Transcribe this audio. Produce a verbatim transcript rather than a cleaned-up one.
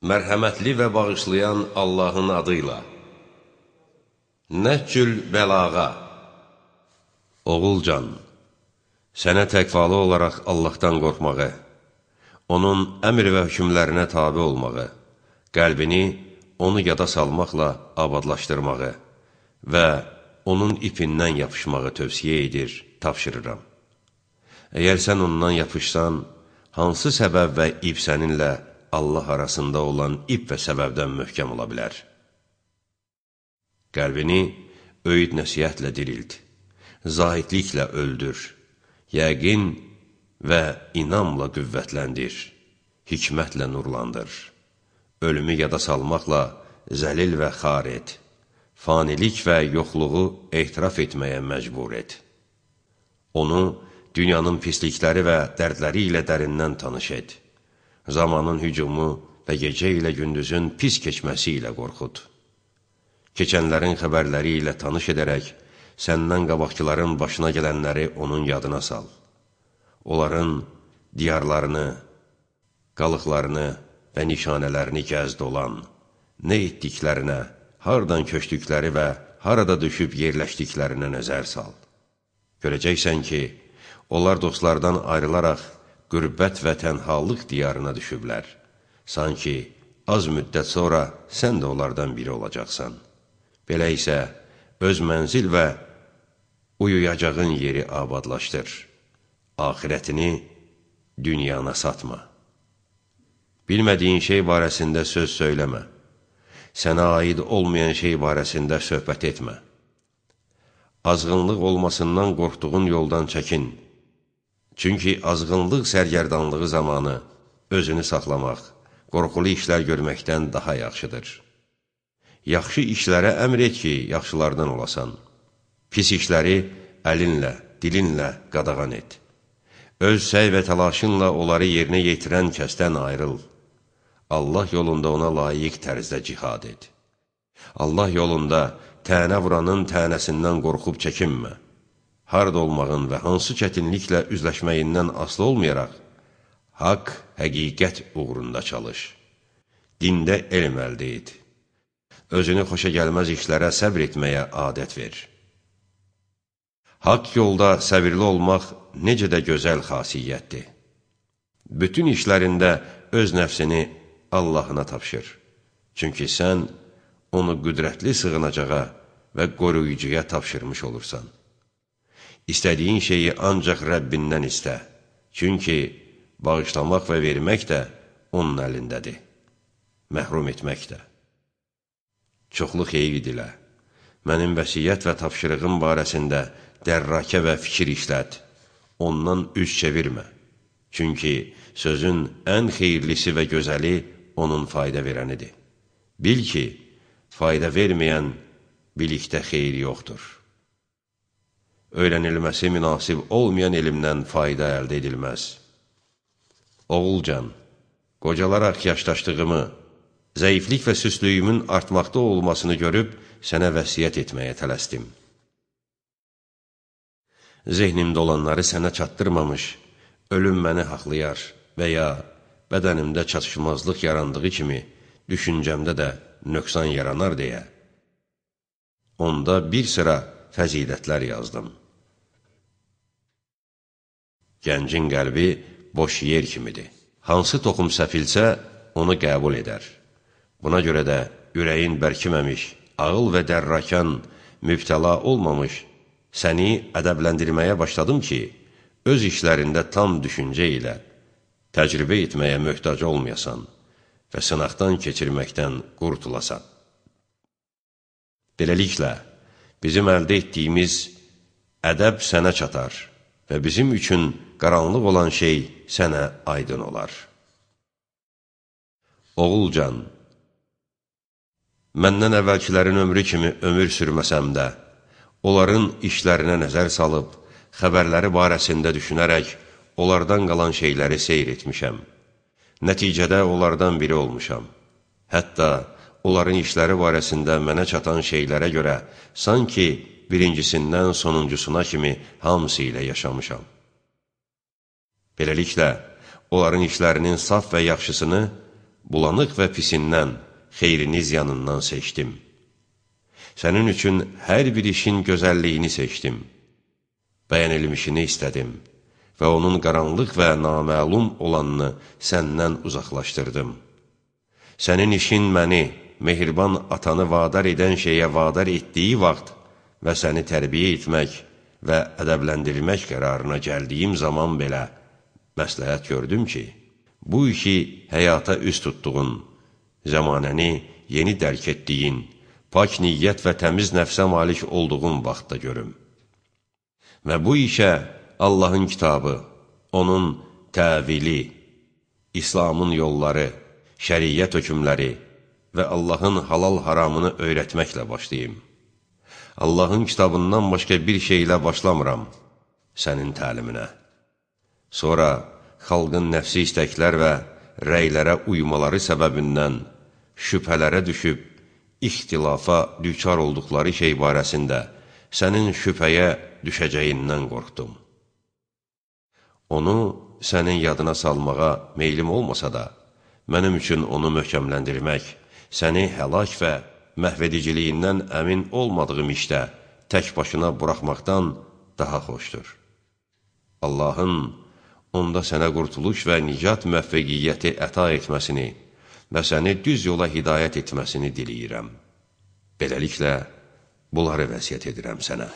Mərhəmətli və bağışlayan Allahın adıyla. Nəhcül bəlağa. Oğulcan, sənə təqvalı olaraq Allahdan qorxmağı, onun əmr və hükümlərinə tabi olmağı, qəlbini onu yada salmaqla abadlaşdırmağı və onun ipindən yapışmağı tövsiyə edir, tapşırıram. Əgər sən ondan yapışsan, hansı səbəb və ip səninlə Allah arasında olan ip və səbəbdən möhkəm ola bilər? Qəlbini öyüd nəsiyyətlə dirilt, zahidliklə öldür, yəqin və inamla qüvvətləndir, hikmətlə nurlandır. Ölümü yada salmaqla zəlil və xar et, fanilik və yoxluğu etiraf etməyə məcbur et. Onu dünyanın pislikləri və dərdləri ilə dərindən tanış et. Zamanın hücumu və gecə ilə gündüzün pis keçməsi ilə qorxud. Keçənlərin xəbərləri ilə tanış edərək, səndən qabaqçıların başına gələnləri onun yadına sal. Onların diyarlarını, qalıqlarını və nişanələrini gəzd olan, nə etdiklərinə, hardan köçdükləri və harada düşüb yerləşdiklərinə nəzər sal. Görəcəksən ki, onlar dostlardan ayrılaraq qürbət və tənhalıq diyarına düşüblər. Sanki az müddət sonra sən də onlardan biri olacaqsan. Belə isə öz mənzil və uyuyacağın yeri abadlaşdır. Axirətini dünyana satma. Bilmədiyin şey barəsində söz söyləmə. Sənə aid olmayan şey barəsində söhbət etmə. Azğınlıq olmasından qorxduğun yoldan çəkin. Çünki azğınlıq sərgərdanlığı zamanı özünü saxlamaq, qorxulu işlər görməkdən daha yaxşıdır. Yaxşı işlərə əmr et ki, yaxşılardan olasan. Pis işləri əlinlə, dilinlə qadağan et. Öz səy və təlaşınla onları yerinə yetirən kəsdən ayrıl. Allah yolunda ona layiq tərzdə cihad et. Allah yolunda tənə vuranın tənəsindən qorxub çəkinmə. Harada olmağın və hansı çətinliklə üzləşməyindən asılı olmayaraq, haqq, həqiqət uğrunda çalış. Dində elm əldə et. Özünü xoşa gəlməz işlərə səbr etməyə adət ver. Haqq yolda səbirli olmaq necə də gözəl xasiyyətdir. Bütün işlərində öz nəfsini Allahına tapşır. Çünki sən onu qüdrətli sığınacağa və qoruyucuya tapşırmış olursan. İstədiyin şeyi ancaq Rəbbindən istə. Çünki bağışlamaq və vermək də onun əlindədir. Məhrum etmək də. Çoxlu xeyir dilə. Mənim vəsiyyət və tapşırığım barəsində dərrakə və fikir işlət. Ondan üz çevirmə. Çünki sözün ən xeyirlisi və gözəli onun fayda verənidir. Bil ki, fayda verməyən bilikdə xeyir yoxdur. Öyrənilməsi münasib olmayan elmdən fayda əldə edilməz. Oğulcan, qocalaraq yaşdaşdığımı, zəiflik və süslüyümün artmaqda olmasını görüb, sənə vəsiyyət etməyə tələsdim. Zehnimdə olanları sənə çatdırmamış, ölüm məni haqlayar və ya bədənimdə çatışmazlıq yarandığı kimi, düşüncəmdə də nöqsan yaranar deyə, onda bir sıra fəzilətlər yazdım. Gəncin qəlbi boş yer kimidir. Hansı toxum səpilsə, onu qəbul edər. Buna görə də ürəyin bərkiməmiş, ağıl və dərrakan, mübtəla olmamış, səni ədəbləndirməyə başladım ki, öz işlərində tam düşüncə ilə təcrübə etməyə möhtac olmayasan və sınaqdan keçirməkdən qurtulasan. Beləliklə, bizim əldə etdiyimiz ədəb sənə çatar və bizim üçün qaranlıq olan şey sənə aydın olar. Oğulcan, məndən əvvəlkilərin ömrü kimi ömür sürməsəm də, onların işlərinə nəzər salıb, xəbərləri barəsində düşünərək, onlardan qalan şeyləri seyr etmişəm. Nəticədə onlardan biri olmuşam. Hətta onların işləri barəsində mənə çatan şeylərə görə sanki birincisindən sonuncusuna kimi hamısı ilə yaşamışam. Beləliklə, onların işlərinin saf və yaxşısını bulanıq və pisindən, xeyrini ziyanından seçdim. Sənin üçün hər bir işin gözəlliyini seçdim. Bəyənilmişini istədim və onun qaranlıq və naməlum olanını səndən uzaqlaşdırdım. Sənin işin məni, mehriban atanı vadar edən şeyə vadar etdiyi vaxt və səni tərbiyə etmək və ədəbləndirmək qərarına gəldiyim zaman belə məsləhət gördüm ki, bu işi həyata üst tutduğun, zəmanəni yeni dərk etdiyin, pak niyyət və təmiz nəfsə malik olduğun vaxtda görüm. Və bu işə Allahın kitabı, onun təvili, İslamın yolları, şəriyyət hökmləri və Allahın halal haramını öyrətməklə başlayayım. Allahın kitabından başqa bir şeylə başlamıram sənin təliminə. Sonra xalqın nəfsi istəklər və rəylərə uymaları səbəbindən şübhələrə düşüb, ixtilafa düçar olduqları şey barəsində sənin şübhəyə düşəcəyindən qorxdum. Onu sənin yadına salmağa meylim olmasa da, mənim üçün onu möhkəmləndirmək, səni həlak və məhvediciliyindən əmin olmadığım işdə tək başına buraxmaqdan daha xoşdur. Allahın onda sənə qurtuluş və nicat müvəffəqiyyəti əta etməsini və səni düz yola hidayət etməsini diləyirəm. Beləliklə, bunları vəsiyyət edirəm sənə.